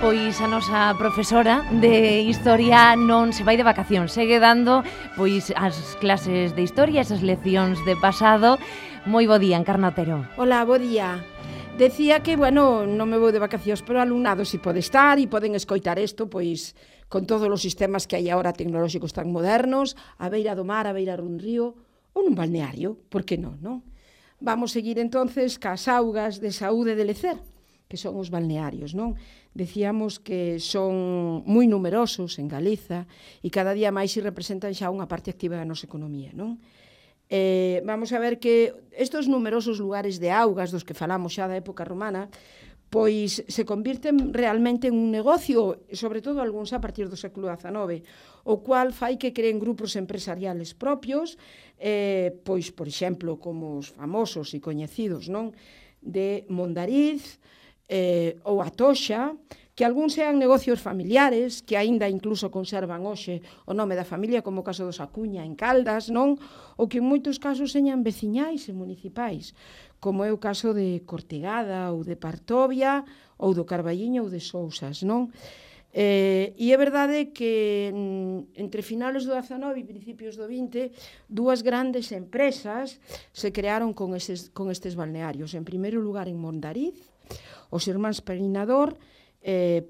pois a nosa profesora de Historia non se vai de vacacións, segue dando pois as clases de Historia, esas leccións de pasado. Moi bo día, Encarna Otero. Hola, bo día. Decía que, bueno, non me vou de vacacións, pero alumnado si pode estar e poden escoitar isto, pois, con todos os sistemas que hai agora tecnolóxicos tan modernos, a beira do mar, a beira dun río, ou nun balneario, por que non, non? Vamos seguir entonces cas augas de saúde de lecer, que son os balnearios, non? Decíamos que son moi numerosos en Galiza e cada día máis se representan xa unha parte activa da nosa economía, non? Vamos a ver que estes numerosos lugares de augas dos que falamos xa da época romana pois se convirten realmente en un negocio, sobre todo algúns a partir do século XIX, o cual fai que creen grupos empresariales propios, pois, por exemplo, como os famosos e coñecidos, non? De Mondariz, ou a Toxa, que algúns sean negocios familiares, que aínda incluso conservan hoxe o nome da familia, como o caso dos Acuña en Caldas, non? Ou que en moitos casos señan veciñais e municipais, como é o caso de Cortegada ou de Partovia, ou do Carballiño ou de Sousas, non? E é verdade que entre finales do XIX e principios do XX dúas grandes empresas se crearon con estes balnearios. En primeiro lugar en Mondariz, os irmáns Perinador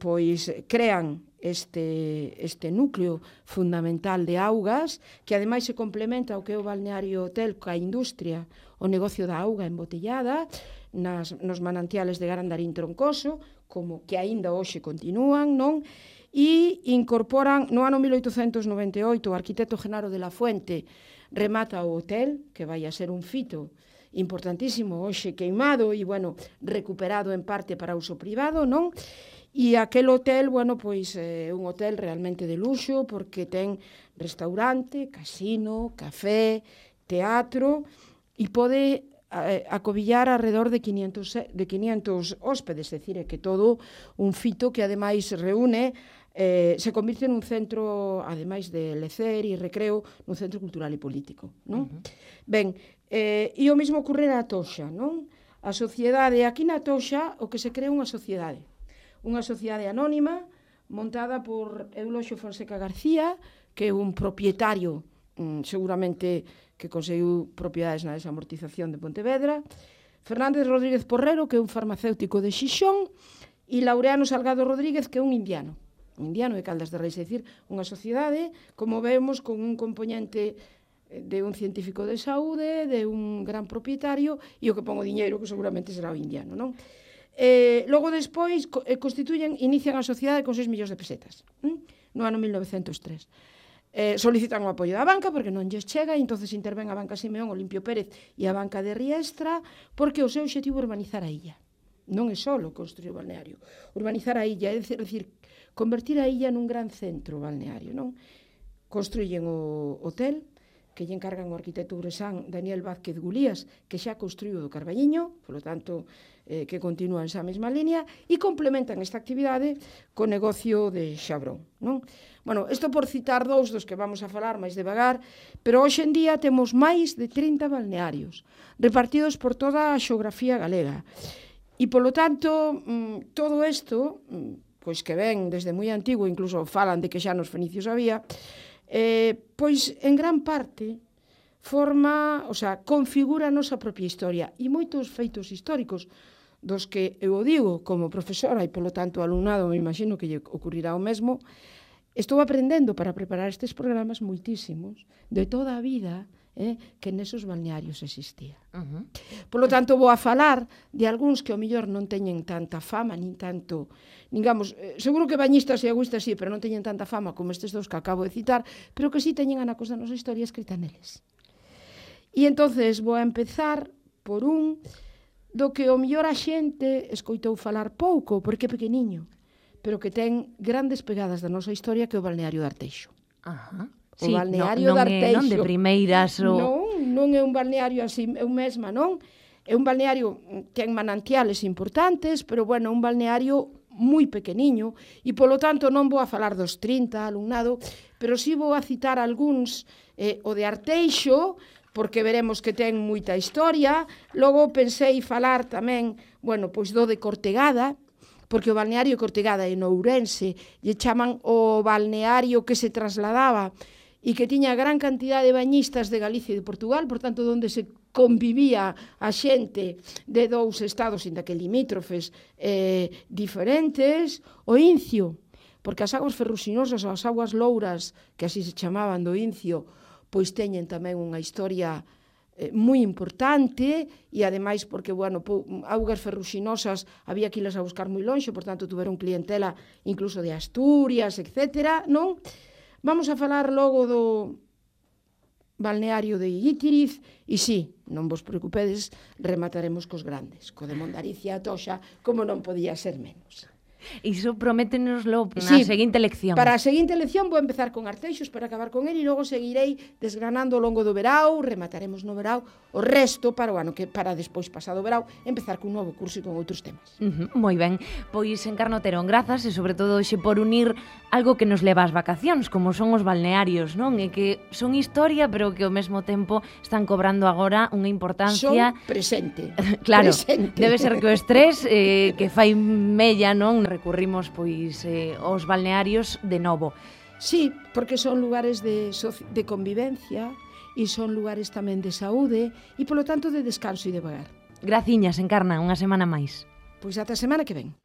pois crean este núcleo fundamental de augas que ademais se complementa o que é o balneario hotel coa industria, o negocio da auga embotellada nos manantiales de Garandarín Troncoso, como que aínda hoxe continúan, non? E incorporan, no ano 1898, o arquitecto Genaro de la Fuente remata o hotel, que vai a ser un fito importantísimo, hoxe queimado e, bueno, recuperado en parte para uso privado, non? E aquel hotel, bueno, pois é un hotel realmente de luxo porque ten restaurante, casino, café, teatro e pode acobillar alrededor de 500 hóspedes, é dicir, é que todo un fito que ademais reúne, se convirte nun centro, ademais de lecer e recreo, nun centro cultural e político, non? Ben, e o mesmo ocurre na Toxa, non? A sociedade, aquí na Toxa, o que se crea unha sociedade anónima montada por Euloxio Fonseca García, que é un propietario, seguramente que conseguiu propiedades na desamortización de Pontevedra, Fernández Rodríguez Porrero, que é un farmacéutico de Xixón, e Laureano Salgado Rodríguez, que é un indiano de Caldas de Reis, é dicir, unha sociedade, como vemos, con un componente de un científico de saúde, de un gran propietario, e o que pon o diñeiro, que seguramente será o indiano, non? Logo despois inician a sociedade con 6 millóns de pesetas, no ano 1903. Solicitan o apoio da banca porque non lles chega e entonces interven a banca Simeón, Olimpio Pérez e a banca de Riestra porque o seu obxectivo é urbanizar a illa. Non é só construir o balneario, urbanizar a illa, é dicir, convertir a illa nun gran centro balneario, non? Construyen o hotel, que lle encargan o arquitecto uresán Daniel Vázquez Gulías, que xa construiu do Carballiño, polo tanto, que continúa esa mesma línea, e complementan esta actividade co negocio de Xabrón, non? Bueno, isto por citar dous dos que vamos a falar máis devagar, pero hoxe en día temos máis de 30 balnearios, repartidos por toda a xeografía galega. E, polo tanto, todo isto, pois que ven desde moi antigo, incluso falan de que xa nos fenicios había, pois en gran parte configura a nosa propia historia e moitos feitos históricos dos que eu o digo como profesora e polo tanto alumnado, me imagino que lle ocurrirá o mesmo, estou aprendendo para preparar estes programas moitísimos de toda a vida que nesos balnearios existía. Polo tanto, vou a falar de algúns que ao mellor non teñen tanta fama, nin tanto, digamos, seguro que bañistas e agüistas sí, pero non teñen tanta fama como estes dous que acabo de citar, pero que sí teñen anacos da nosa historia escrita neles. E entonces vou a empezar por un do que ao mellor a xente escoitou falar pouco, porque é pequeniño, pero que ten grandes pegadas da nosa historia, que é o balneario de Arteixo. O balneario de Arteixo. Non de primeiras. Non é un balneario así, eu mesma, non? É un balneario que ten manantiales importantes, pero, bueno, un balneario moi pequeniño, e, polo tanto, non vou a falar dos 30 alumnado, pero sí vou a citar algúns, o de Arteixo, porque veremos que ten moita historia. Logo pensei falar tamén, bueno, pois do de Cortegada, porque o balneario que Ortegada en Ourense lle chaman o balneario que se trasladaba e que tiña gran cantidad de bañistas de Galicia e de Portugal, por tanto, onde se convivía a xente de dous estados, inda que limítrofes diferentes, o Incio, porque as aguas ferruxinosas ou as aguas louras, que así se chamaban do Incio, pois teñen tamén unha historia moi importante e ademais porque, bueno, augas ferruxinosas había que ilas a buscar moi lonxe, por tanto tuveron clientela incluso de Asturias, etc. Non? Vamos a falar logo do balneario de Guitiriz e sí, non vos preocupedes, remataremos cos grandes, co de Mondaricia a Toxa, como non podía ser menos. Iso prométenoslo na seguinte lección. Para a seguinte lección vou empezar con Arteixos para acabar con ele e logo seguirei desgranando ao longo do verao, remataremos no verao o resto para o ano que para despois pasado o verao empezar cun novo curso e con outros temas. Moi ben, pois Encarna Otero, grazas e sobre todo hoxe por unir algo que nos leva ás vacacións, como son os balnearios, non? E que son historia, pero que ao mesmo tempo están cobrando agora unha importancia... Son presente. Claro, presente. Debe ser que o estrés que fai mella, non? Recurrimos pois aos balnearios de novo. Sí, porque son lugares de convivencia e son lugares tamén de saúde e, polo tanto, de descanso e de vagar. Graciñas, Encarna, unha semana máis. Pois ata a semana que ven.